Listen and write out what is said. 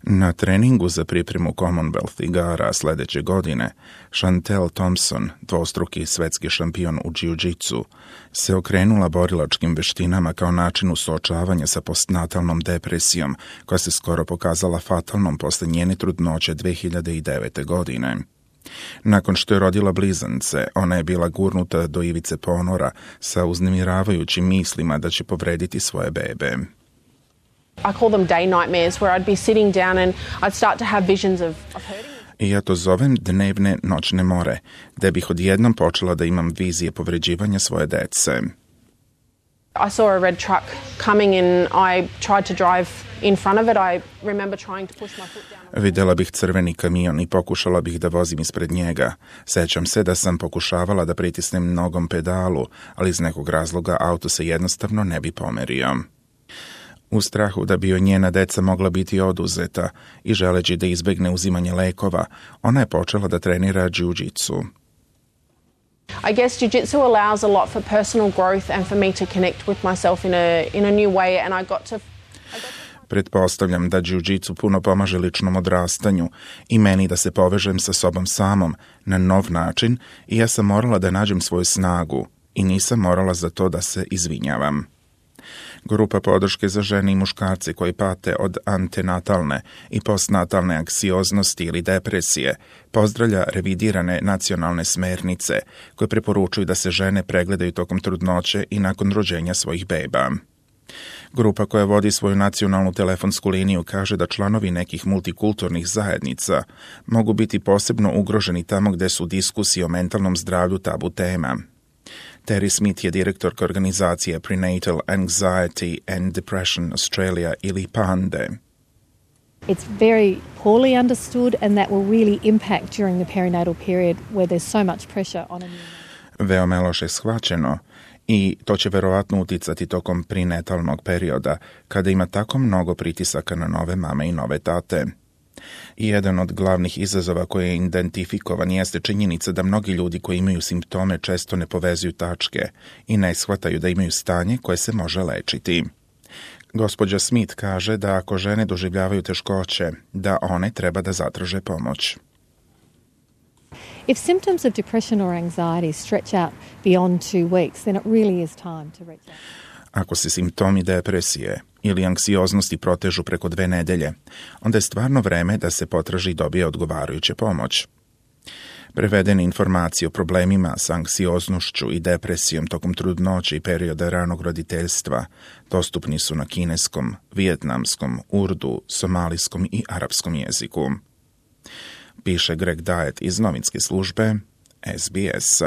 Na treningu za pripremu Commonwealth igara sljedeće godine, Chantel Thompson, dvostruki svetski šampion u džiu-džitsu, se okrenula borilačkim veštinama kao načinu suočavanja sa postnatalnom depresijom, koja se skoro pokazala fatalnom posle njene trudnoće 2009. godine. Nakon što je rodila blizance, ona je bila gurnuta do ivice ponora sa uznemiravajućim mislima da će povrediti svoje bebe. I call them day nightmares where I'd be sitting down and I'd start to have visions of hurting. I ja to zovem dnevne noćne more, gde bih odjednom počela da imam vizije povređivanja svoje dece. I saw a red truck coming and I tried to drive in front of it. I remember trying to push my foot down. Videla bih crveni kamion i pokušala bih da vozim ispred njega. Sećam se da sam pokušavala da pritisnem nogom pedalu, ali iz nekog razloga auto se jednostavno ne bi pomerio. U strahu da bi joj njena deca mogla biti oduzeta i želeći da izbegne uzimanje lekova, ona je počela da trenira džiu-džitsu. I guess jiu-jitsu allows a lot for personal growth and for me to connect with myself in a new way, and I got to Pretpostavljam da džiu-džitsu puno pomaže ličnom odrastanju i meni da se povežem sa sobom samom na nov način, i ja sam morala da nađem svoju snagu i nisam morala za to da se izvinjavam. Grupa podrške za žene i muškarce koji pate od antenatalne i postnatalne anksioznosti ili depresije pozdravlja revidirane nacionalne smernice koje preporučuju da se žene pregledaju tokom trudnoće i nakon rođenja svojih beba. Grupa koja vodi svoju nacionalnu telefonsku liniju kaže da članovi nekih multikulturnih zajednica mogu biti posebno ugroženi tamo gde su diskusije o mentalnom zdravlju tabu tema. Terry Smith je direktorka organizacije Prenatal Anxiety and Depression Australia ili PANDE. It's very poorly understood and that will really impact during the perinatal period where there's so much pressure on a new... Veoma je loše shvaćeno i to će verovatno uticati tokom prenatalnog perioda kada ima tako mnogo pritisaka na nove mame i nove tate. I jedan od glavnih izazova koji je identifikovan jeste činjenica da mnogi ljudi koji imaju simptome često ne povezuju tačke i ne shvataju da imaju stanje koje se može lečiti. Gospođa Smith kaže da ako žene doživljavaju teškoće, da one treba da zatraže pomoć. If symptoms of depression or anxiety stretch out beyond 2 weeks, then it really is time to reach out. Ako se simptomi depresije ili anksioznosti protežu preko 2 nedelje, onda je stvarno vreme da se potraži i dobije odgovarajuća pomoć. Prevedene informacije o problemima sa anksioznošću i depresijom tokom trudnoće i perioda ranog roditeljstva dostupni su na kineskom, vijetnamskom, urdu, somalijskom i arapskom jeziku. Piše Greg Diet iz novinske službe SBS.